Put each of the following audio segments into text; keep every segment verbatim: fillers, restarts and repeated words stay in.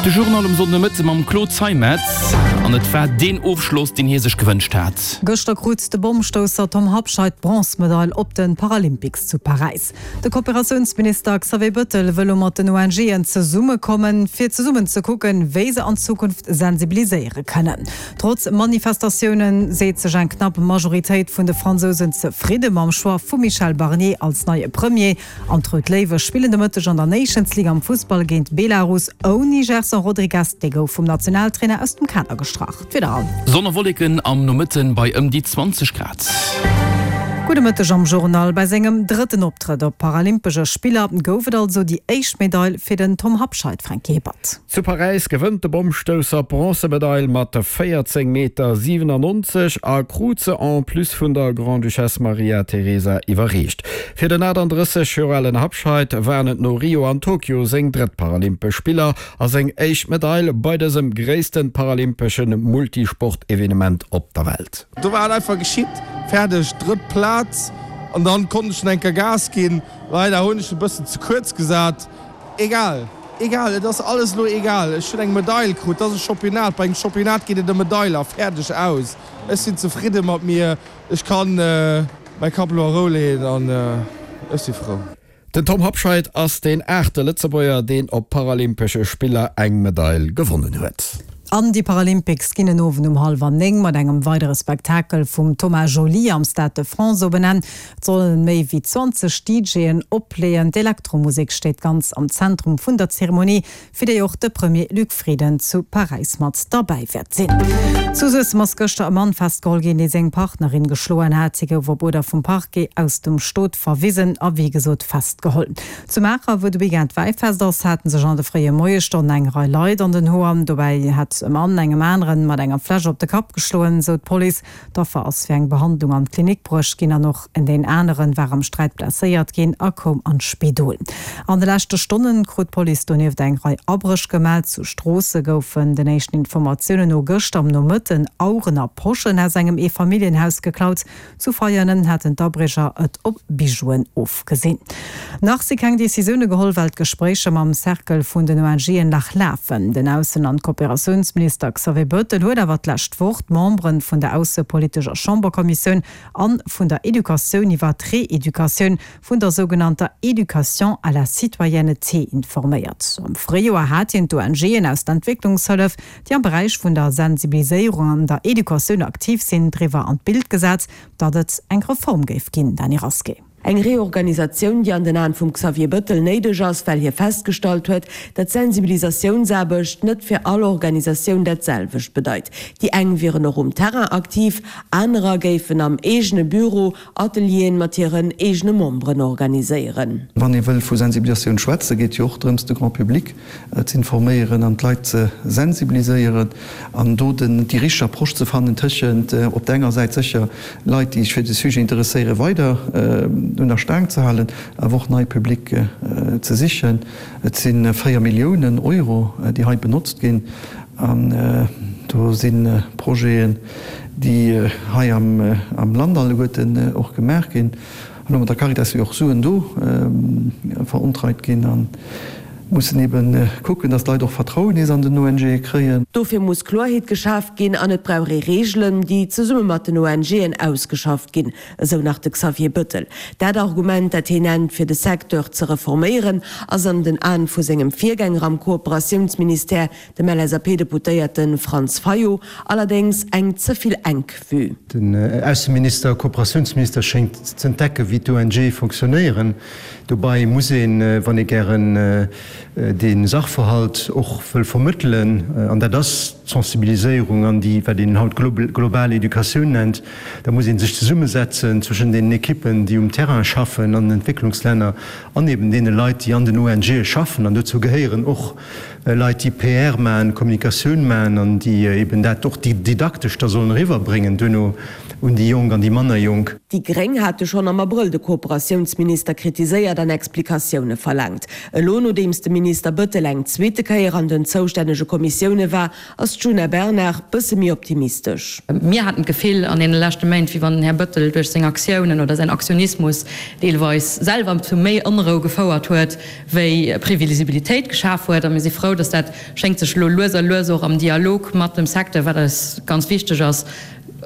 De Journal um Sonndemëtte mam Claude Zeimetz. An et war deen Ofschloss, deen hie sech gewënscht hat. Gëschter krut de Bommstousser Tom Habscheid d'Bronzmedail op de Paralympics zu Paräis. De Kooperatiounsminister Xavier Bëttel wëll elo mat den ONGen zesummekommen, fir zesummen ze kucken, wéi se an Zukunft sensibiliséiere kënnen. Trotz Manifestatioune seet sech eng knapp Majoritéit vun de Fransousen zefridde mam Choix vum Michel Barnier als neie Premier. An d'Rout Léiwe spillen de Mëtteg an der Nations League am Fussball géint Belarus ouni Gerson Rodrigues, dee gouf vum Nationaltrainer aus dem Kader gestrach. D'Wieder an. Sonn a Wolleken am Nomëtten bei ëm déi zwanzeg Grad. Gudde Mëtteg am Journal. Bei sengem drëtten Optrëtt op Paralympesche Spiller gouf et also déi éischt Medail fir den Tom Habscheid, Franky Hippert. Zu Paräis gewënnt de Bommstousser d'Bronzemedail mat véierzéng Meter siwenannonzeg a krut se en plus vun der Grande-Duchesse Maria Teresa iwwerreecht. Fir den achtandrësseg Joer alen Habscheid waren et no Rio an Tokio seng drëtt Paralympesch Spiller a seng éischt Medail bei dësem gréisste paralympesche Multisport-Evenement op der Welt. Do war et einfach geschitt, fäerdeg, drëtt Plaz an dann konnt ech schon eng Kéier Gas ginn. Leider hunn ech e bëssen ze kuerz gesat. Egal, egal, et ass alles elo egal. Ech hunn eng Medail krut, dat ass e Championnat, bei engem Championnat geet et ëm Medailer, fäerdeg, aus. Ech sinn zefridde mat mir, ech kann mäi Kapp elo a Rou leeën an ech si frou. Den Tom Habscheid ass deen aachte Lëtzebuerger, deen op Paralympesche Spiller eng Medail gewonnen huet. An déi Paralympics ginn en Owend um hallwer néng mat engem weidere Spektakel vum Thomas Joly am Stade de France op en Enn. Et sollen méi wéi zwanzeg DJen opleeën. D'Elektromusek steet ganz am Zentrum vun der Zeremonie, fir déi och de Premier Luc Frieden zu Paräis mat derbäi wäert sinn. Zu Suessem ass gëschter e Mann festgeholl ginn, dee seng Partnerin geschloen hat. Si gouf op Uerder vum Parquet aus dem Stot verwisen a wéi gesot festgeholl. Zu Maacher, wou de Weekend Wäifest ass, hate sech an de fréie Moiesstonnen eng Rei Leit an den Hoer. Dobäi hätt e Mann engem aneren mat enger Fläsch op de Kapp geschloen, sou d'Police. D'Affer ass fir eng Behandlung an d'Klinik bruecht ginn an och en deen aneren war am Sträit blesséiert ginn a koum an d'Spidol. An de leschte Stonnen krut d'Police donieft eng Rei Abréch gemellt. Zu Stroosse goufen den éischten Informatiounen no gëschter am Nomëtten Aueren a Poschen aus engem Eefamilljenhaus geklaut. Zu Veianen haten d'Abriecher et op Bijouen ofgesinn. Nach si keng Decisioune geholl, well d'Gespréicher mam Cercle vun den ONGen nach lafen. Den Aussen an Kooperatiounsminister Xavier Bettel huet awer d'lescht Woch d'Membere vun der aussepolitescher Chamberkommissioun an vun der Educatioun iwwer d'Reeducatioun vun der sougenannter Éducation à la citoyenneté informéiert. Am Fréijoer hat hien d'ONGen aus der Entwécklungshëllef, déi am Beräich vun der Sensibiliséierung an der Educatioun aktiv sinn, driwwer an d'Bild gesat, datt et eng Reform géif ginn. Dany Rasqué. Eng Reorganisatioun, déi an den Aen vum Xavier Bëttel néideg ass, well hie festgestallt huet, datt Sensibilisatiounsaarbecht net fir all Organisatioun dat selwecht bedeit. Déi eng wieren och um Terrain aktiv, anerer géifen am eegene Büro Atelieren mat hiren eegene Memberen organiséieren. Wann ee wëll vu Sensibilisatioun schwätzen, geet jo och drëms, de Grand public z'informéieren an d'Leit ze sensibiliséieren an do déi richteg Approche ze fannen tëschent op der enger Säit sécher Leit, déi sech fir de Sujet interesséieren, weider un der Staang ze halen, awer och nei Public ze sichen. Et si véier Milliounen Euro, déi hei benotzt ginn an do si Projeten, déi hei am Land alleguerten och gemaach ginn. Elo mat der Caritas si och Suen do verontreit ginn a mussen ebe kucken, datt d'Leit och Vertrauen nees an den ONGe kréien. Dofir muss Kloerheet geschaf ginn an et brauch ee Reegelen, déi zesumme mat den ONGen ausgeschafft ginn, esou nach de Xavier Bëttel. Dat Argument, dat hien nennt, fir de Secteur ze reforméieren, ass an den Aen vu sengem Virgänger am Kooperatiounsministère, dem L S A P-Deputéierte Franz Fayot, allerdéngs eng ze vill enk Vue. Den Ausseminister, Kooperatiounsminister schéngt z'entdecken, wéi d'ONGe fonctionnéieren. Dobei muss een, wann ee gären dee Sachverhalt och wëll vermëttelen, an dat ass d'Sensibiliséierung an déi, wat een haut global Educatioun nennt, da muss ee sech zesummesetzen zwëschen deenen Ekippen, déi um Terrain schaffen an den Entwécklungslänner, an eben deene Leit, déi an den O N G'e schaffen. An dozou gehéieren och Leit, déi P R maachen, Kommunikatioun maachen an déi eben dat och didaktesch da sollen eriwwerbréngen duerno. un déi Jonk an déi manner Jonk. Déi gréng hate schonn am Abrëll de Kooperatiounsminister kritiséiert an Explikatioune verlaangt. Elo, nodeems de Minister Bettel eng zweete Kéier an den zoustännege Kommissioune war, ass d'Djuna Bernard bësse méi optimistesch. Mir haten d'Gefill an deene leschte Méint, wéi wann den Här Bettel duerch seng Aktiounen oder säin Aktionismus deelweis selwer zu méi Onrou gefouert huet, wéi Previsibilitéit geschaf huet. A mir si frou, dass dat schéngt sech elo lues a lues och am Dialog mat dem Secteur, wat eis ganz wichteg ass,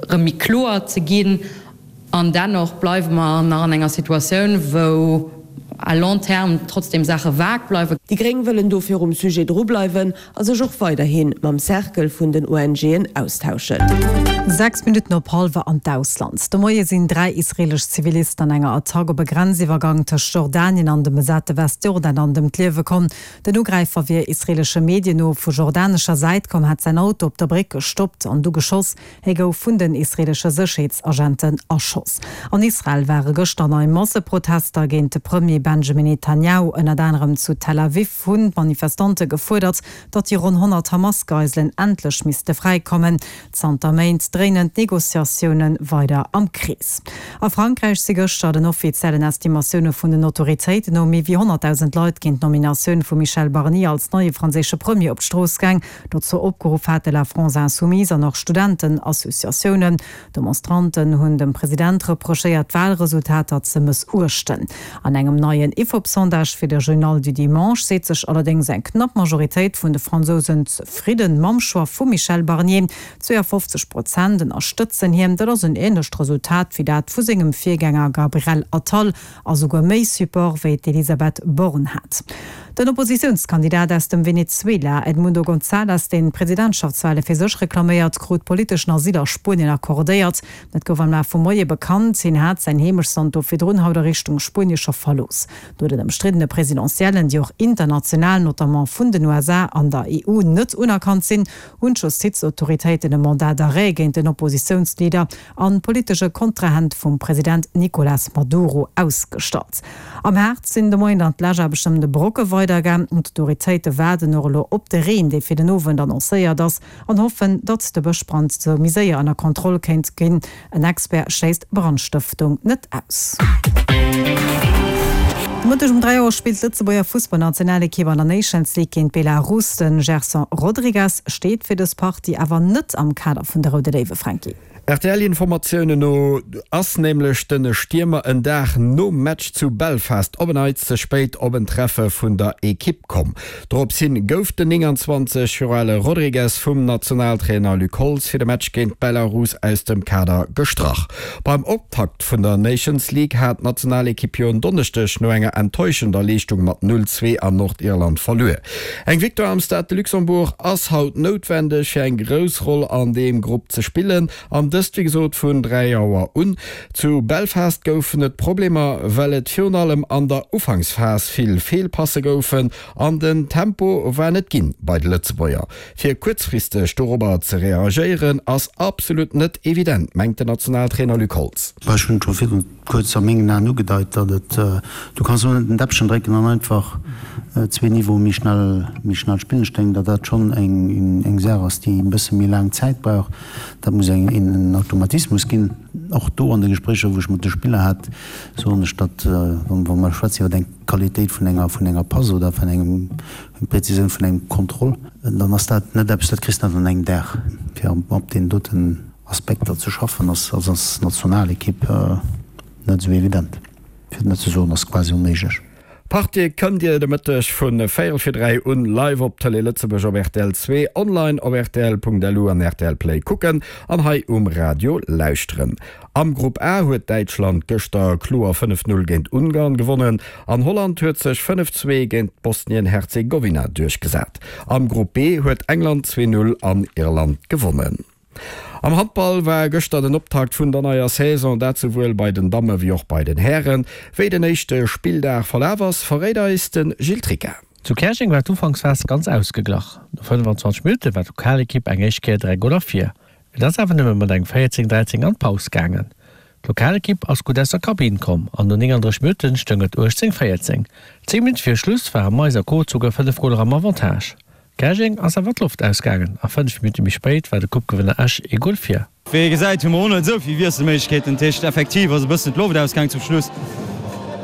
erëm méi kloer ze ginn. An dennoch bleiwe mer nach an enger Situatioun, wou à long terme trotzdem Saache vag bleiwen. Déi gréng wëllen dofir um Sujet drubleiwen a sech och weiderhi mam Cercle vun den ONGen austauschen. Sechs Minutten op hallwer an d'Ausland. De Moie sinn dräi israeelesch Zivilisten an enger Attack op e Grenziwwergang tëscht Jordanien an dem besate Westjordanland ëm d'Liewe komm. Den Ugräifer wier israeelesche Medien no vu jordanescher Säit komm, hätt säin Auto op der Bréck gestoppt an du geschoss. Hie gouf vun den israeelesche Sécherheetsagenten erschoss. An Israel ware gëschter nei Masseprotester géint de Premier Benjamin Netanjahu. Ënnert anerem zu Tel Aviv hunn d'Manifestante gefuerdert, datt déi ronn honnert Hamas-Geiselen endlech misste fräikommen. Zanter Méint dréinen d'Negociatioune weider am Krees. A Frankräich si gëschter den offiziellen Estimatioune vun den Autoritéiten no méi wéi honnertdausend Leit géint d'Nominatioun vum Michel Barnier als neie franséische Premier op d'Strooss gaang. Dozou opgeruff hate La France Insoumise an och Studentenassociatiounen. Demonstranten hunn dem President reprochéiert, d'Walresultater ze mëssuechten. An engem neien Ifop-Sondage fir de Journal du Dimanche seet sech allerdéngs eng knapp Majoritéit vun de Fransousen zefridden mam Choix vum Michel Barnier. zweeënfofzeg Prozent ënnerstëtzen hien. Dat ass en änlecht Resultat wéi dat vu sengem Virgänger Gabriel Attal a souguer méi Support wéi d'Elisabeth Borne hat. Den Oppositiounskandidat aus dem Venezuela, Edmundo González, deen d'Presidentschaftswale fir sech reklaméiert, krut politeschen Asyl a Spuenien accordéiert. Dat gouf am Laf vum Moie bekannt. Hien hat säin Heemechtsland do virdrun haut a Richtung Spuenie scho verlooss. No den ëmstriddene Presidentiellen, déi och international, notamment vun den U S A an der E U, net unerkannt sinn, hunn d'Justizautoritéiten e Mandat d'arrêt géint den Oppositiounsleader an politesche Kontrahent vum President Nicolás Maduro ausgestallt. Am Harz sinn de Moien dann d'Läschaarbechten ëm de Brocke weidergaang. D'Autoritéite waarden och elo op de Reen, dee fir den Owend annoncéiert ass, an hoffen, datt de Bëschbrand sou méi séier ënner Kontroll kéint ginn. En Expert schléisst Brandstëftung net aus. De Mëtteg um dräi Auer spillt d'Lëtzebuerger Fussballnationalekipp an der Nations League géint Belarus. De Gerson Rodrigues steet fir dës Partie awer net am Kader vun de Roude Léiwe, Franky. R T L-Informatiounen no ass nämlech de Stiermer en Dag nom Match zu Belfast op en Neits ze spéit op en Treffe vun der Ekipp komm. Dorops hin gouf den nénganzwanzeg Joer ale Rodrigues vum Nationaltrainer Luc Holtz fir de Match géint Belarus aus dem Kader gestrach. Beim Optakt vun der Nations League hat d'Nationalekipp jo en Donneschdeg no enger enttäuschender Leeschtung mat null zwee an Nordirland verluer. Eng Victoire am Stade de Luxembourg ass haut noutwendeg fir eng grouss Roll an deem Grupp ze spillen an dëst wéi gesot vun dräi Auer un. Zu Belfast goufen et Problemer, well et virun allem an der Ufanksphas vill Feelpasse goufen an den Tempo war net ginn bei de Lëtzebuerger. Fir kuerzfristeg dorobber ze reagéieren ass absolut net evident, mengt den Nationaltrainer Luc Holtz. Ech hunn scho virdrun kuerz a mengen Aen ugedeit, datt et, du kanns elo net den Däppchen drécken an einfach zwee Niveaue méi schnell, méi schnell spillen. Ech denken, datt dat schonn eng, eng Saach ass, déi e bësse méi laang Zäit brauch. Dat muss eng, en Automatismus ginn. Och do an de Gespréicher, wou ech mat de Spiller hat, soen ech, datt, wa mer schwätzen iwwer eng Qualitéit vun enger, vun enger Pass oder vun engem, eng Präzisioun vun engem Contrôle, dann ass dat net eppes, dat kriss de net an engem Dag. Fir op deenen doten Aspekter ze schaffen, ass als Nationalekipp net esou evident, fir net ze soen, ass quasi onméiglech. D'Partie kënnt Dir de Mëtteg vu véierel fir dräi un live op Tëlee Lëtzebuerg op R T L zwee, online op rtl Punkt L U an R T L Play kucken an hei um Radio lauschteren. Am Grupp A huet Däitschland gëschter kloer fënnef Null géint Ungarn gewonnen an Holland huet sech fënnef Zwee géint Bosnien-Herzegowina duerchgesat. Am Grupp B huet England zwee Null an Irland gewonnen. Am Handball war gëschter den Optakt vun der neier Saison, dat souwuel bei den Damme wéi och bei den Hären. Wéi den éischte Spilldag verlaf ass, verréit eis de Gilles Tricca. Zu Käerjeng war d'Ufanksphas ganz ausgeglach. No fënnfanzwanzeg Minutte war d'Lokalekipp eng éischt Kéier dräi Goler vir. Et ass awer nëmme mat engem véierzéng dräizéng an d'Paus gaangen. D'Lokalekipp ass gutt aus der Kabinn komm an no nénganddrësseg Minutte stoung et uechtzéng véierzéng. Zéng Minutte fir Schluss ware Mais a Co souguer fënnef Goler am Avantage. Käerjeng ass awer d'Loft ausgaangen a fënnef Minutte méi spéit war de Coupe-Gewënner Esch ee Gol vir. Wéi ee gesäit, hu mer och net esou vill Wiesselméiglechkeeten. Dat heescht, effektiv ass e bëssen d'Loft ausgaangen zum Schluss.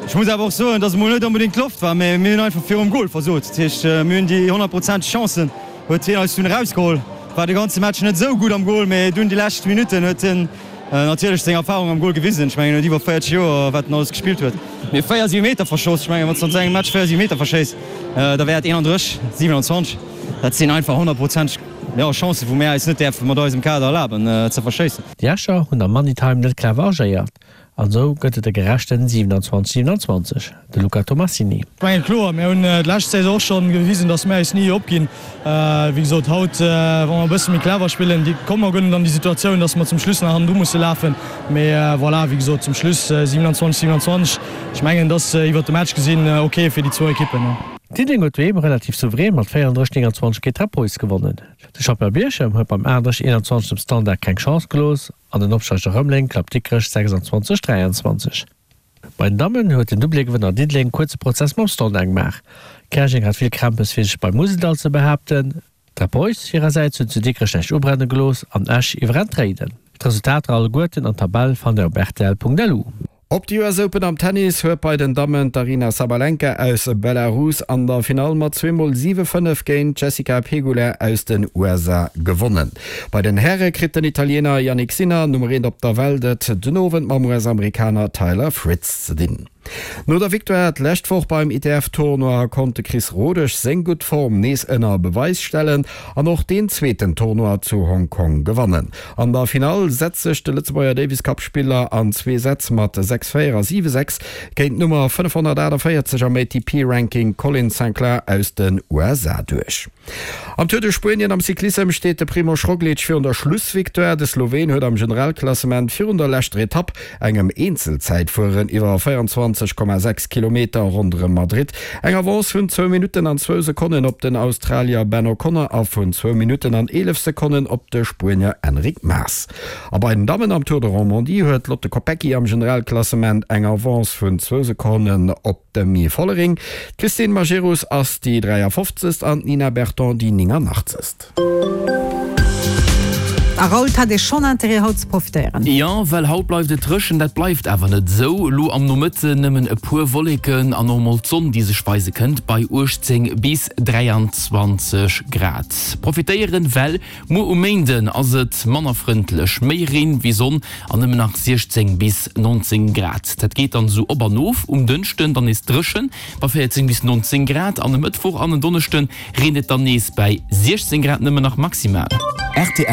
Ech muss awer och soen, dass et mol net onbedéngt d'Loft war, mä mir hunn einfach virum Gol versot. Dat heescht, mir hunn déi honnertprozenteg Chancen huet hien eis dunn erausgeholl. War de ganze Match net esou gutt am Gol, mä dunn déi lescht Minutten huet hien natierlech seng Erfarung am Gol gewisen. Ech mengen, en huet iwwer véierzeg Joer, wat en alles gespillt huet. Mir hu véier Siwemeter verschoss. Ech mengen, wann s de an esou engem Match véier Siwemeter verschéiss, da wär et eenandrësseg, siewenundzwanzeg. Dat sinn einfach honnertprozenteg, jo, Chancen, wou mir eis net däerfe mat eisem Kader erlaben ze verschéissen. Déi Escher hunn am Money-Time net clever agéiert an esou gëtt et e gerechten siewenundzwanzeg, siewenundzwanzeg. De Luca Tomassini. Ech mengen, kloer, mir hunn d'lescht Saison och scho gewisen, datt mir eis ni opginn. Wéi gesot, haut, wa mer e bësse méi clever spillen, komme mer guer net an déi Situatioun, datt mer zum Schluss nach hannendru musse lafen. Mee voilà, wéi gesot, zum Schluss siewenundzwanzeg, siewenundzwanzeg, ech mengen, et ass iwwert de Match gesinn ok fir déi zwou Ekippen. Diddeleng huet doheem relativ souverän mat véierunddrësseg, nénganzwanzeg géint Trappois gewonnen. De Champion Bierchem huet beim aachtunddrësseg, eenanzwanzeg dem Standard keng Chance gelooss an den Opsteiger Rëmeleng klappt Dikrech sechsandzwanzeg, dräianzwanzeg. Bei den Dammen huet den Doublégewënner Diddeleng kuerze Prozess mam Standard gemaach. Käerjeng hat vill Krämpes fir sech beim Museldall ze behaapten. D'Trappois hirersäits hunn zu Dikrech näischt ubrenne gelooss an Esch iwwerrennt Réiden. D'Resultater alleguerten an d'Tabell fannt der op rtl.lu. Op de U S Open am Tennis huet bei den Dammen d'Aryna Sabalenka aus Belarus an der Finall mat zwee mol siwe fënnef géint d'Jessica Pegula aus den U S A gewonnen. Bei den Häre kritt den Italiener Jannik Sinner, Nummer eent op der Welt, et den Owend mam U S-Amerikaner Taylor Fritz ze dinn. No der Victoire d'lescht Woch beim I T F-Tournoi konnt de Chris Rodesch seng gutt Form nees ënner Beweis stellen an och deen zweeten Tournoi zu Hong Kong gewannen. An der Finall setzt sech de Lëtzebuerger Davis-Cup-Spiller an zwee Sätz mat sechs véier a siwe sechs géint d'Nummer fënnefhonnertaachtavéierzeg am A T P-Ranking Colin Sinclair aus den U S A duerch. Am Tour de Spuenien am Cyclissem steet de Primož Roglič virun der Schlussvictoire. De Sloween huet am Generalklassement virun der leschter Etapp, engem Eenzelzäitfueren iwwer véierundzwanzeg Komma sechs Kilometer ronderëm Madrid, eng Avance vun zwou Minutten an zwou Sekonnen op den Australier Ben O'Connor a vun zwou Minutten an eelef Sekonnen op de Spuenier Enric Mas. A bei den Dammen am Tour de Romandie huet d'Lotte Kopecky am Generalklassement eng Avance vun zwou Sekonnen op d'Demi Vollering. D'Christine Majerus ass déi dräiafofzegst an d'Nina Berton déi nénganaachtzegst. A Raoul, et hat ee schonn Interêt haut ze profitéieren. Jo, well haut bleift et dréchen, dat bleift awer net esou. Elo am Nomëtten nëmmen e puer Wolleken an och mol d'Sonn, déi sech weise kënnt, bei uechtzéng bis dräianzwanzeg Grad. Profitéieren, well muer um Méinden ass et manner frëndlech, méi Reen wéi Sonn an nëmmen nach siechzéng bis nonzéng Grad. Dat geet dann esou op an of, um Dënschden dann nees dréchen bei véierzéng bis nonzéng Grad an e Mëttwoch an en Donneschde reent et dann nees bei siechzéng Grad nëmmen nach maximal. Rtl.